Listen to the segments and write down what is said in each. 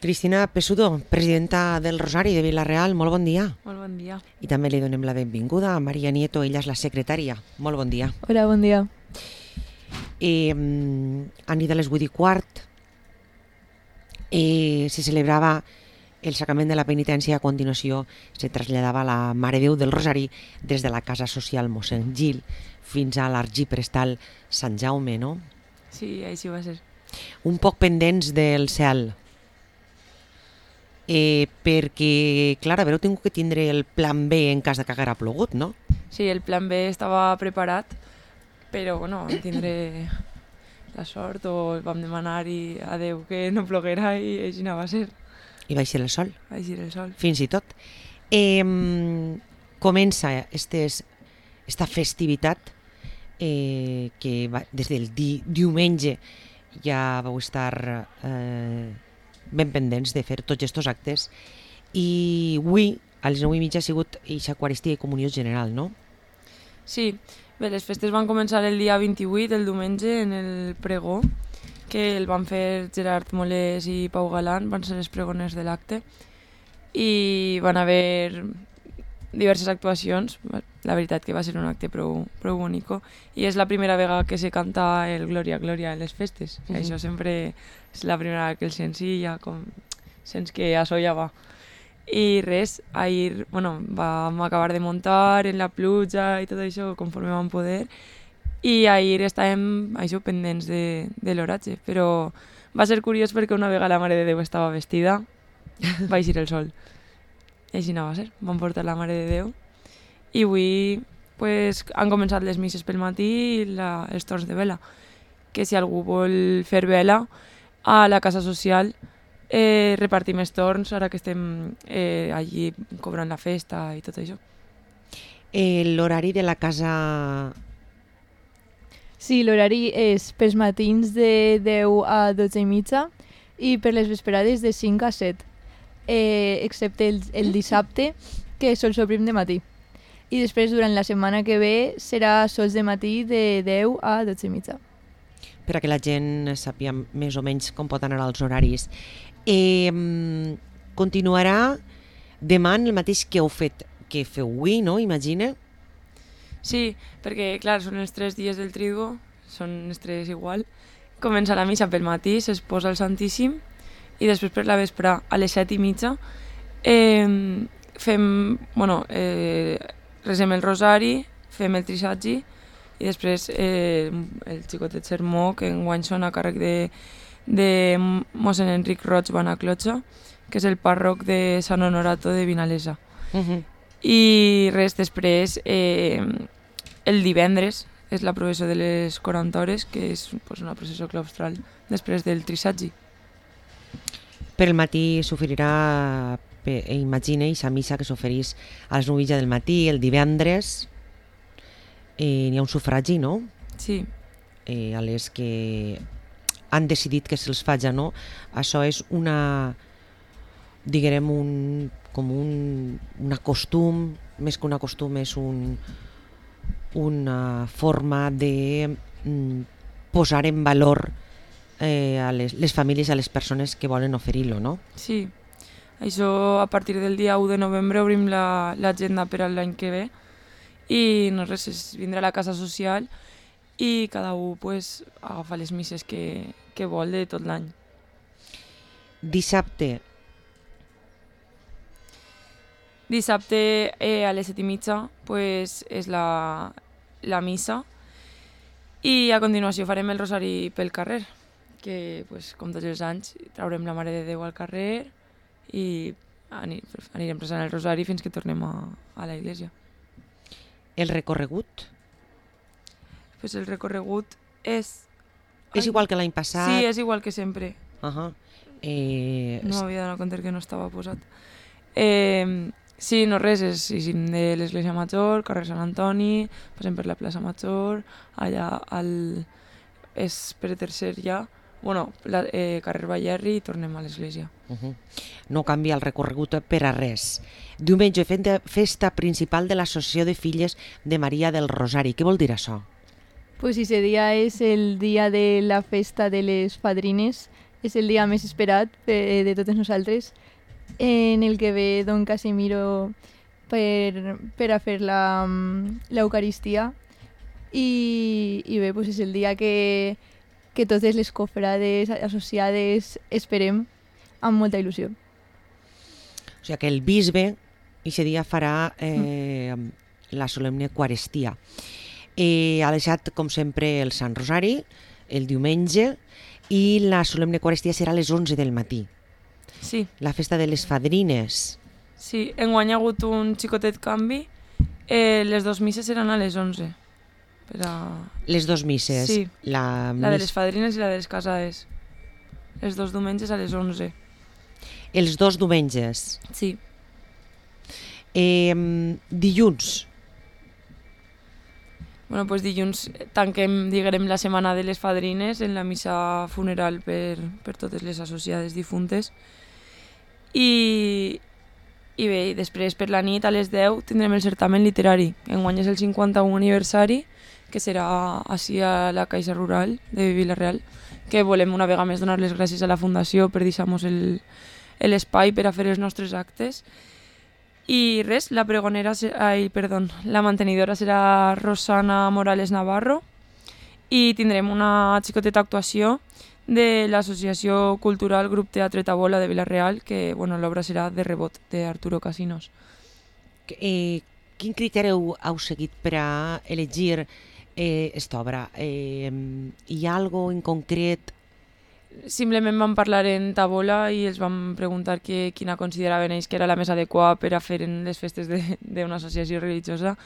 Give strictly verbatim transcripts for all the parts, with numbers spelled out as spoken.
Cristina Pessudo, presidenta del Rosari de Vila-real, molt bon dia. Molt bon dia. I també li donem la benvinguda a Maria Nieto, ella és la secretària. Molt bon dia. Hola, bon dia. Eh, a nit de les vuit i quart eh, se celebrava el sacrament de la penitència. A continuació se traslladava la Mare Déu del Rosari des de la Casa Social Mossèn Gil fins a l'Arxiprestal Sant Jaume, no? Sí, així va ser. Un poc pendents del cel. Eh, perquè, clar, haver-ho tingut que tindre el plan B en cas de que haguera plogut, no? Sí, el plan B estava preparat, però bueno, vam tindre la sort o vam demanar-hi a Déu que no ploguera i així no va ser. I va eixir el sol. Va eixir el sol. Fins i tot. Eh, comença estes, esta festivitat eh, que va, des del di, diumenge ja vau estar eh, ben pendents de fer tots aquests actes i avui a les nou i mitja ha sigut eixa Eucaristia i Comunió General, no? Sí, bé, les festes van començar el dia vint-i-vuit, el diumenge, en el pregó, que el van fer Gerard Molés i Pau Galant, van ser els pregoners de l'acte, i van haver diverses actuacions. La veritat que va ser un acte prou, prou bonico, i és la primera vegada que se canta el Glòria, Glòria en les festes. Mm -hmm. Això sempre és la primera vegada que el sents i ja com sents que això ja va. I res, ahir bueno, vam acabar de muntar en la pluja i tot això conforme vam poder, i ahir estàvem això, pendents de, de l'oratge, però va ser curiós perquè una vegada la Mare de Déu estava vestida, va eixir el sol. I així no va ser, vam portar la Mare de Déu i avui pues, han començat les misses pel matí i la, els torns de vela, que si algú vol fer vela a la casa social eh, repartim els torns ara que estem eh, allí cobrant la festa i tot això. Eh, L'horari de la casa... Sí, l'horari és pels matins de deu a dotze i mitja i per les vesperades de cinc a set, eh, excepte el, el dissabte, que sol s'obrim de matí. I després, durant la setmana que ve, serà sols de matí de deu a dotze i mitja. Per a que la gent sàpiga més o menys com pot anar als horaris. Eh, continuarà demà el mateix que heu fet, que feu avui, no? Imagina. Sí, perquè, clar, són els tres dies del Triduo, són els tres igual. Comença la missa pel matí, s'exposa el Santíssim, i després per la vespre, a les set i mitja, eh, fem, bueno, eh, resem el rosari, fem el trisatgi, i després eh, el xicotet sermó, que enguany són a càrrec de, de mossèn Enric Roig Banaclotxa, que és el pàrroc de Sant Honorato de Vinalesa. Uh-huh. I res, després, eh, el divendres, és la processó de les quaranta hores, que és pues, una processó claustral després del trisatgi. Per el matí s'oferirà, imagina, aquesta missa que s'oferís a les nou i mitja del matí, el divendres, eh, n'hi ha un sufragi, no? Sí. Eh, a les que han decidit que se'ls faja, no? Això és una, diguem, un, com un, una costum, més que una costum, és un, una forma de mm, posar en valor eh, a les, les famílies, a les persones que volen oferir-lo, no? Sí. Això, a partir del dia u de novembre, obrim l'agenda la, per a l'any que ve i no res, és vindre a la casa social i cada un pues, agafa les misses que, que vol de tot l'any. Dissabte. Dissabte eh, a les set i mitja pues, és la, la missa i a continuació farem el rosari pel carrer, que pues, com tots els anys traurem la Mare de Déu al carrer i anirem resant el rosari fins que tornem a, a la iglesia. El recorregut? Pues el recorregut és... És igual que l'any passat? Sí, és igual que sempre. Uh-huh. eh... No m'havia donat compte que no estava posat. Eh, sí, no res, és eixim de l'Església Major, carrer Sant Antoni, passem per la plaça Major, allà al... és per tercer ja, bueno, la, eh, carrer Ballerri i tornem a l'església. Uh-huh. No canvia el recorregut per a res. Diumenge, festa principal de l'Associació de Filles de Maria del Rosari. Què vol dir això? Pues ese día es el día de la festa de les fadrines, és el dia més esperat de, de totes nosaltres, en el que ve don Casimiro per, per a fer la, l'Eucaristia. I, i bé, pues és el dia que, que totes les cofrades associades esperem amb molta il·lusió. O sigui que el bisbe aquest dia farà eh, la solemne Eucaristia. Eh, ha deixat, com sempre, el Sant Rosari, el diumenge, i la solemne Eucaristia serà a les onze del matí. Sí. La festa de les fadrines. Sí, enguany ha hagut un xicotet canvi. Eh, les dos misses seran a les onze. Per a... Les dos misses. Sí, la, la de mis... les fadrines i la de les casades. Els dos diumenges a les onze. Els dos diumenges. Sí. Eh, dilluns. Bueno, pues dilluns tanquem, diguem, la setmana de les fadrines en la missa funeral per, per totes les associades difuntes. I, i bé, després per la nit a les deu tindrem el certamen literari. Enguany és el cinquanta-u aniversari, que serà així a la Caixa Rural de Vila-real, que volem una vegada més donar les gràcies a la Fundació per deixar-nos el, l'espai per a fer els nostres actes. I res, la pregonera, ai, perdó, la mantenidora serà Rosana Morales Navarro i tindrem una xicoteta actuació de l'Associació Cultural Grup Teatre Tabola de Vila-real, que bueno, l'obra serà de rebot, d'Arturo Casinos. Eh, quin criteri heu, heu seguit per a elegir eh, esta obra? Eh, hi ha alguna en concret? Simplement vam parlar en tabola i els vam preguntar que, quina consideraven ells que era la més adequada per a fer en les festes d'una associació religiosa,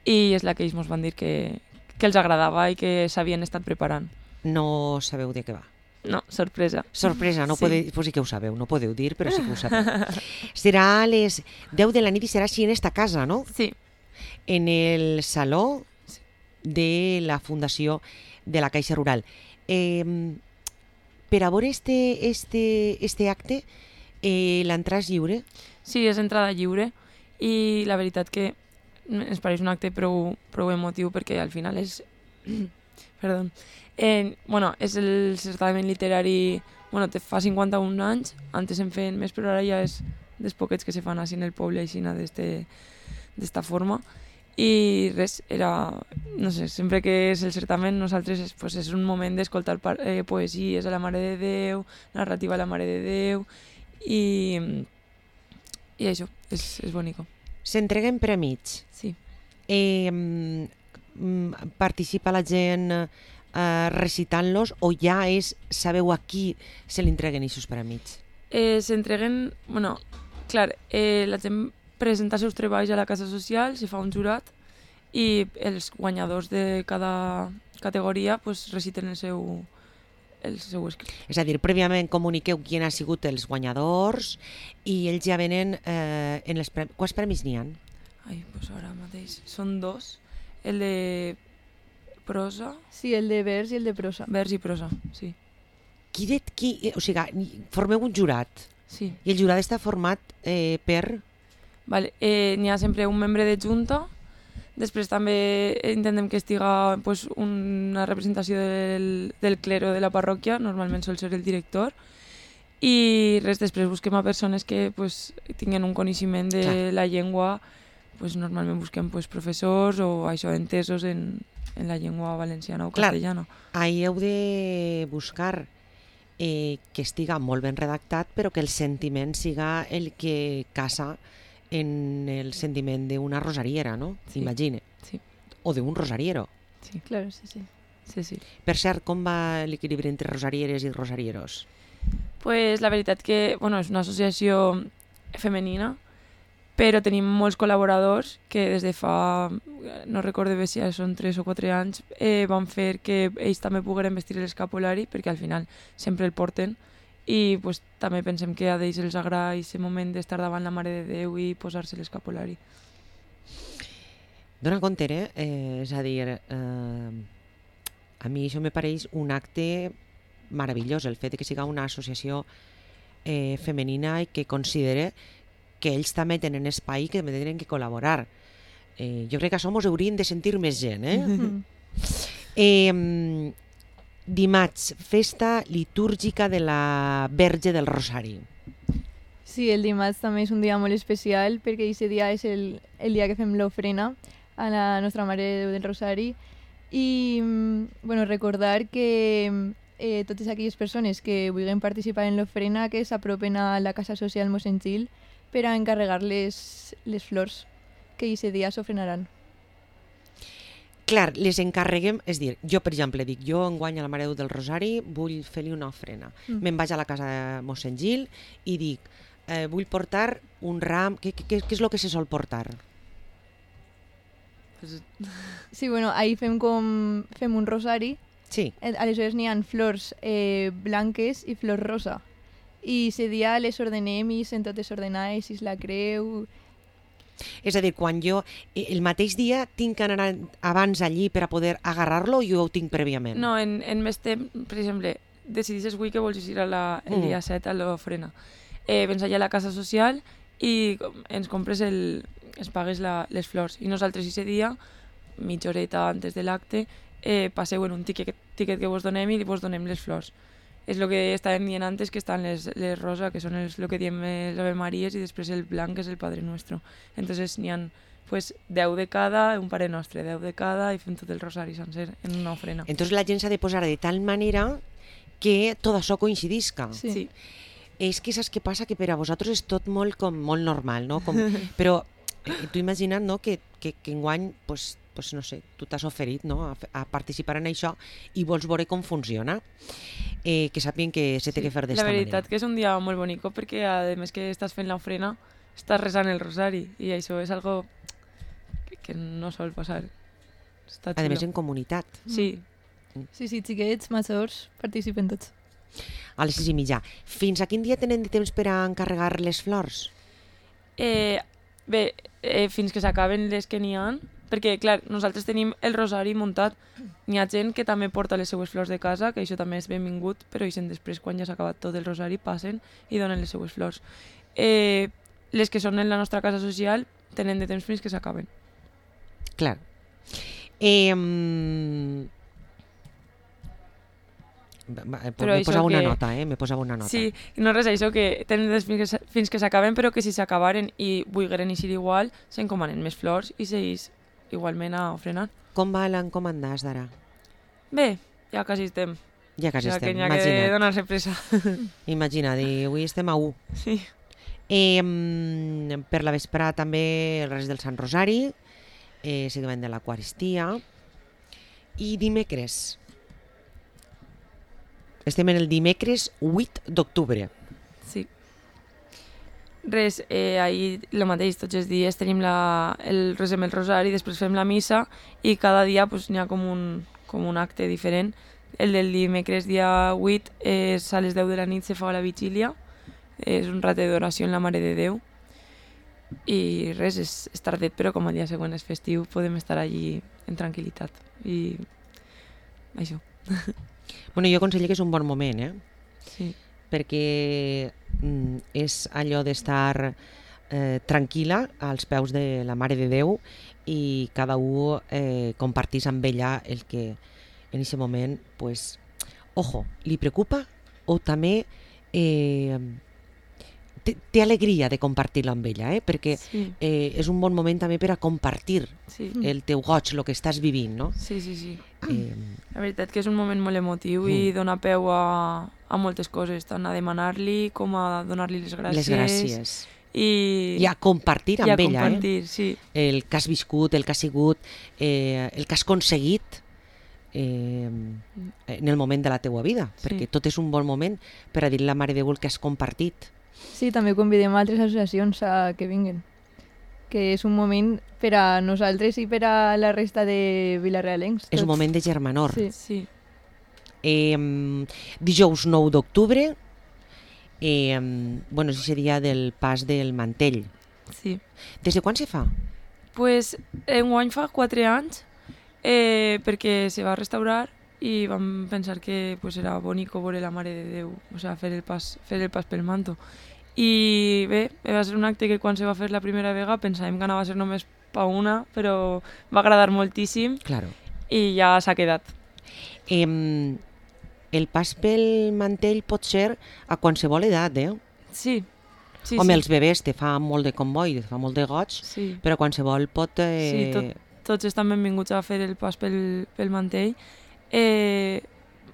i és la que ells ens van dir que, que els agradava i que s'havien estat preparant. No sabeu de què va? No, sorpresa. Sorpresa, no Sí. podeu, pues sí que ho sabeu, no podeu dir, però sí que ho sabeu. Serà a les deu de la nit i serà així en esta casa, no? Sí. En el saló de la Fundació de la Caixa Rural. Eh, per a veure este, este, este acte, eh, l'entrada és lliure? Sí, és entrada lliure i la veritat que ens pareix un acte prou, prou emotiu perquè al final és... Perdó. Eh, bueno, és el certamen literari... Bueno, te fa cinquanta-un anys, antes en feien més, però ara ja és dels poquets que se fan així en el poble, així d'esta forma. I res, era... No sé, sempre que és el certamen, nosaltres és, pues, és un moment d'escoltar eh, poesies a la Mare de Déu, narrativa a la Mare de Déu, i, i això, és, és bonico. S'entreguen prèmits. Sí. Eh, mm, participa la gent eh, recitant-los o ja és, sabeu a qui se li entreguen aquests prèmits? Eh, S'entreguen, bueno, clar, eh, la gent presenta els seus treballs a la casa social, se fa un jurat i els guanyadors de cada categoria pues, reciten el seu, el seu escrit. És a dir, prèviament comuniqueu qui han sigut els guanyadors i ells ja venen eh, en els premis. Quants premis n'hi ha? Ai, pues ara mateix són dos, el de prosa, Sí, el de vers i el de prosa. vers i prosa, sí. Qui de, qui, o sigui, formeu un jurat sí. i el jurat està format eh, per... Vale, eh, n'hi ha sempre un membre de junta, després també intentem que estiga pues, una representació del, del clero de la parròquia, normalment sol ser el director, i res, després busquem a persones que pues, tinguin un coneixement de Clar. la llengua, pues, normalment busquem pues, professors o això, entesos en, en la llengua valenciana o Clar. castellana. Ahí heu de buscar eh, que estiga molt ben redactat, però que el sentiment siga el que casa en el sentiment d'una rosariera, no? Sí. Imagine. Sí. O d'un rosariero. Sí. Claro, sí, sí. Sí, sí. Per cert, com va l'equilibri entre rosarieres i rosarieros? Pues la veritat que bueno, és una associació femenina, però tenim molts col·laboradors que des de fa, no recordo bé si són tres o quatre anys, eh, van fer que ells també pogueren vestir l'escapulari, perquè al final sempre el porten, i pues, també pensem que a ells els agrada aquest moment d'estar davant la Mare de Déu i posar-se l'escapulari. Dona compte, eh? eh? És a dir, eh, a mi això me pareix un acte meravellós, el fet de que siga una associació eh, femenina i que considere que ells també tenen espai i que també tenen que col·laborar. Eh, jo crec que a això mos hauríem de sentir més gent, eh? Mm. eh dimarts, festa litúrgica de la Verge del Rosari. Sí, el dimarts també és un dia molt especial perquè aquest dia és el, el dia que fem l'ofrena a la Nostra Mare de Déu del Rosari i bueno, recordar que eh, totes aquelles persones que vulguin participar en l'ofrena que s'apropen a la Casa Social Mossèn Gil per a encarregar les, les flors que aquest dia s'ofrenaran. Clar, les encarreguem, és dir, jo per exemple dic, jo enguany a la Mare de Déu del Rosari vull fer-li una ofrena. Mm. Me'n vaig a la casa de Mossèn Gil i dic, eh, vull portar un ram, què, què, què és el que se sol portar? Sí, bueno, ahir fem com fem un rosari. Sí. Aleshores n'hi ha flors eh, blanques i flors rosa. I ese dia les ordenem i són totes ordenades, i la creu... És a dir, quan jo el mateix dia tinc que anar abans allí per a poder agarrar-lo o jo ho tinc prèviament? No, en, en més temps, per exemple, decidisses avui que vols ir a la, el Mm. dia set a l'ofrena. Eh, vens allà a la casa social i ens compres el, ens pagues la, les flors. I nosaltres ese dia, mitja horeta antes de l'acte, eh, passeu en un tiquet, tiquet que vos donem i vos donem les flors. És el que estàvem dient antes, que estan les, les rosa, que són el que diem les Ave Maries, i després el blanc, que és el Padre Nuestro. Entonces n'hi ha pues, deu de cada, un Pare Nostre, deu de cada, i fem tot el rosari sencer en una ofrena. Entonces la gent s'ha de posar de tal manera que tot això coincidisca. Sí. Sí. És que saps què passa? Que per a vosaltres és tot molt, com, molt normal, no? Com, però eh, tu imagina't, no?, que, que, que enguany, pues, pues, no sé, tu t'has oferit, no?, a, a participar en això i vols veure com funciona. Eh, que sàpiguen que se té Sí, que fer d'esta la manera. veritat que és un dia molt bonic perquè a més que estàs fent l'ofrena estàs resant el rosari i això és algo que, que no sol passar. Està A xulo. més en comunitat. Sí. Sí, sí, xiquets, majors, participen tots. A les sis i mitja. Fins a quin dia tenen de temps per a encarregar les flors? Eh, bé, eh, fins que s'acaben les que n'hi ha, perquè, clar, nosaltres tenim el rosari muntat. N'hi ha gent que també porta les seues flors de casa, que això també és benvingut, però ixen després, quan ja s'ha acabat tot el rosari, passen i donen les seues flors. Eh, les que són en la nostra casa social tenen de temps fins que s'acaben. Clar. Eh, mm, me Però això posava una que- nota, eh? Me posava una nota. Sí, i no res, això que tenen de temps fins que, s- fins que s'acaben, però que si s'acabaren i volgueren eixir igual, s'encomanen més flors i seguís igualment a ofrenar. Com va l'encomanda d'ara? Bé, ja quasi estem. Ja quasi o sigui estem, que n'hi ha que imagina't. donar-se pressa. Imagina't, i avui estem a u. Sí. Eh, mm, per la vesprada també res del Sant Rosari, eh, seguiment de l'Eucaristia, i dimecres. Estem en el dimecres vuit d'octubre. Sí. Res, eh, ahir el mateix, tots els dies tenim la, el resem el rosari, després fem la missa i cada dia pues, n'hi ha com un, com un acte diferent. El del dimecres dia vuit és a les deu de la nit se fa la vigília, és un ratet d'oració en la Mare de Déu i res, és, és tardet, però com el dia següent és festiu podem estar allí en tranquil·litat i això. Bueno, jo aconsello que és un bon moment, eh? Sí. perquè mm, és allò d'estar eh, tranquil·la als peus de la Mare de Déu i cada un eh, compartís amb ella el que en aquest moment, pues, ojo, li preocupa o també eh, té, té alegria de compartir-lo amb ella, eh? Perquè Sí. eh, és un bon moment també per a compartir Sí. el teu goig, el que estàs vivint, no? Sí, sí, sí. Eh, La veritat que és un moment molt emotiu i dona peu a, a moltes coses, tant a demanar-li com a donar-li les gràcies. les gràcies. I, I a compartir amb i a ella, eh? compartir, sí. El que has viscut, el que has sigut, eh, el que has aconseguit eh, en el moment de la teua vida, Sí. perquè tot és un bon moment per a dir a la Mare de Déu el que has compartit. Sí, també convidem altres associacions a que vinguin, que és un moment per a nosaltres i per a la resta de vilarealencs. És un tots. moment de germanor. Sí. Sí. Eh, dijous nou d'octubre, eh, bueno, és el dia del pas del mantell. Sí. Des de quan se fa? Pues enguany fa quatre anys eh, perquè se va restaurar i vam pensar que pues, era bonico veure la Mare de Déu, o sea, fer el pas, fer el pas pel manto. I bé, va ser un acte que quan se va fer la primera vegada pensàvem que anava a ser només pa una, però va agradar moltíssim Claro. i ja s'ha quedat. Eh, el pas pel mantell pot ser a qualsevol edat, eh? Sí. Sí, Home, sí. els bebès te fa molt de comboi, te fa molt de goig, Sí. però qualsevol pot... Eh... Sí, tot, tots estan benvinguts a fer el pas pel, pel mantell. Eh,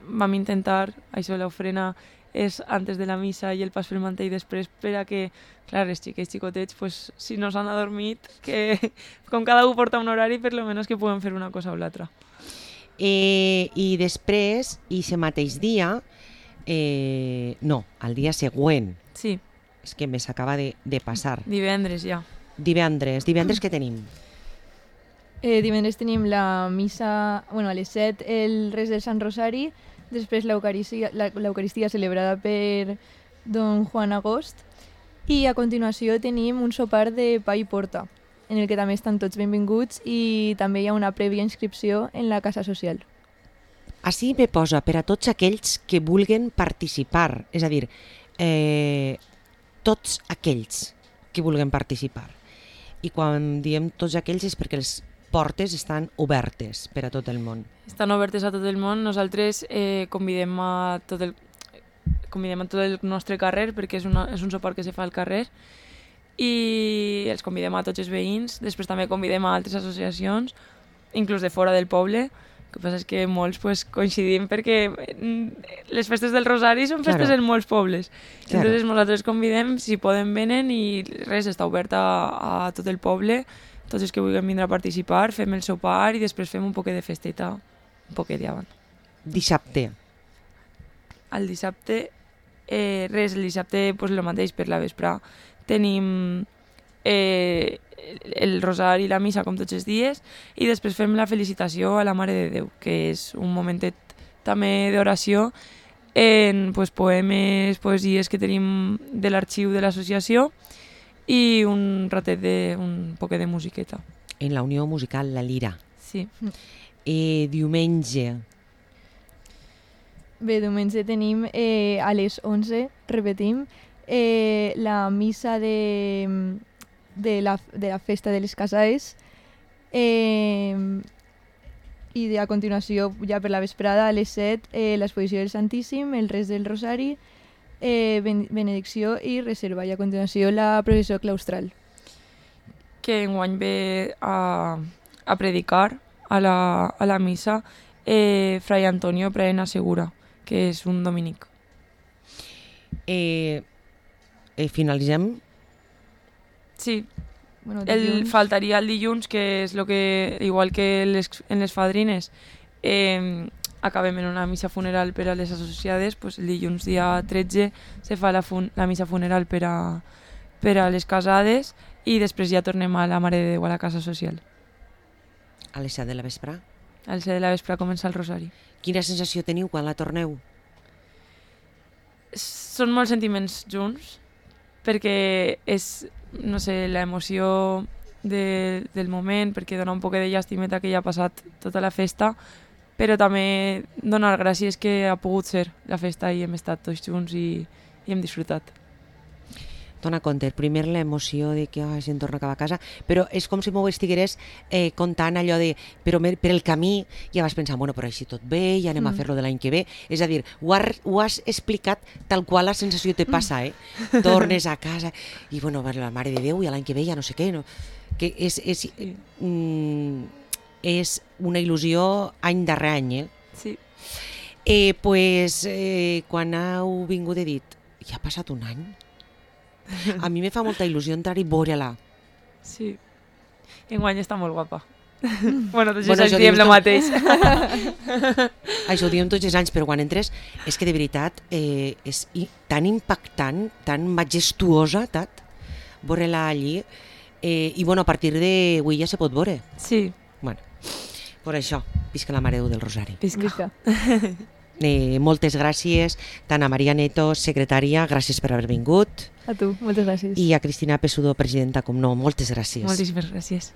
vam intentar, això l'ofrena és antes de la missa i el pas pel mantell després per a que, clar, els xiquets xicotets, pues, si no s'han adormit, que com cada un porta un horari, per lo menos que puguem fer una cosa o l'altra. Eh, I després, i ese mateix dia, eh, no, al dia següent, Sí, és que me s'acaba de, de passar, divendres ja. divendres, divendres què tenim? Eh, divendres tenim la missa, bueno, a les set el res del Sant Rosari, després l'Eucaristia, la- l'Eucaristia celebrada per don Juan Agost i a continuació tenim un sopar de pa i porta, en el que també estan tots benvinguts i també hi ha una prèvia inscripció en la Casa Social. Així me posa per a tots aquells que vulguen participar, és a dir, eh, tots aquells que vulguen participar. I quan diem tots aquells és perquè les portes estan obertes per a tot el món. Estan obertes a tot el món. Nosaltres eh, convidem a tot el convidem a tot el nostre carrer perquè és, una, és un sopar que se fa al carrer i els convidem a tots els veïns. Després també convidem a altres associacions, inclús de fora del poble. El que passa és que molts pues, coincidim perquè mm, les festes del Rosari són festes Claro. en molts pobles. Claro. Entonces nosaltres convidem, si poden venen i res, està obert a, a tot el poble. Tots els que vulguin vindre a participar, fem el sopar i després fem un poquet de festeta, un poquet d'avant. Dissabte, El dissabte, eh, res, el dissabte pues, el mateix per la vesprà. Tenim eh, el rosari i la missa com tots els dies i després fem la felicitació a la Mare de Déu, que és un momentet també d'oració en pues, poemes, poesies que tenim de l'arxiu de l'associació i un ratet de, un poquet de musiqueta. en la Unió Musical La Lira. Sí. Eh, diumenge, Bé, diumenge tenim eh, a les onze, repetim, eh, la missa de, de, la, de la festa de les casades eh, i de, a continuació, ja per la vesprada, a les set, eh, l'exposició del Santíssim, el res del Rosari, eh, ben, benedicció i reserva, i a continuació la processió claustral. Que enguany ve a, a predicar a la, a la missa eh, Fray Antonio Praena Segura, que és un dominic. eh, eh, finalitzem. Sí, Bueno, el, dilluns, faltaria el dilluns, que és lo que, igual que les, en les fadrines, eh, acabem en una missa funeral per a les associades, pues el dilluns dia tretze se fa la, fun la missa funeral per a, per a les casades i després ja tornem a la Mare de Déu a la casa social. A les set de la vespre. Al ser de la vespre comença el rosari. Quina sensació teniu quan la torneu? Són molts sentiments junts, perquè és, no sé, l'emoció de, del moment, perquè dona un poc de llàstimeta que ja ha passat tota la festa, però també donar gràcies que ha pogut ser la festa i hem estat tots junts i, i hem disfrutat. Dona compte, primer l'emoció de que ai, se'n torna cap a casa, però és com si m'ho estigueres eh, contant allò de... Però mer- per el camí ja vas pensar, bueno, però així tot bé, ja anem mm. a fer-lo de l'any que ve. És a dir, ho, har, ho has explicat tal qual la sensació te passa, eh? Tornes a casa i, bueno, la Mare de Déu i l'any que ve ja no sé què, no? Que és, és, mm, és una il·lusió any darrere any, eh? Sí. Eh, pues, eh, quan heu vingut he dit, ja ha passat un any? A mi me fa molta il·lusió entrar i veure-la. Sí. Enguany està molt guapa. bueno, tots Bueno, els això anys diem dius el tu. mateix. Això ho diem tots els anys, però quan entres és que de veritat eh, és i- tan impactant, tan majestuosa, tat, veure-la allí. Eh, I bueno, a partir d'avui ja se pot veure. Sí. Bueno, per això, visca la Mare de Déu del Rosari. Visca. Eh, moltes gràcies, tant a Maria Neto, secretària, gràcies per haver vingut, A tu, moltes gràcies. i a Cristina Pesudo, presidenta, com no, moltes gràcies. Moltíssimes gràcies.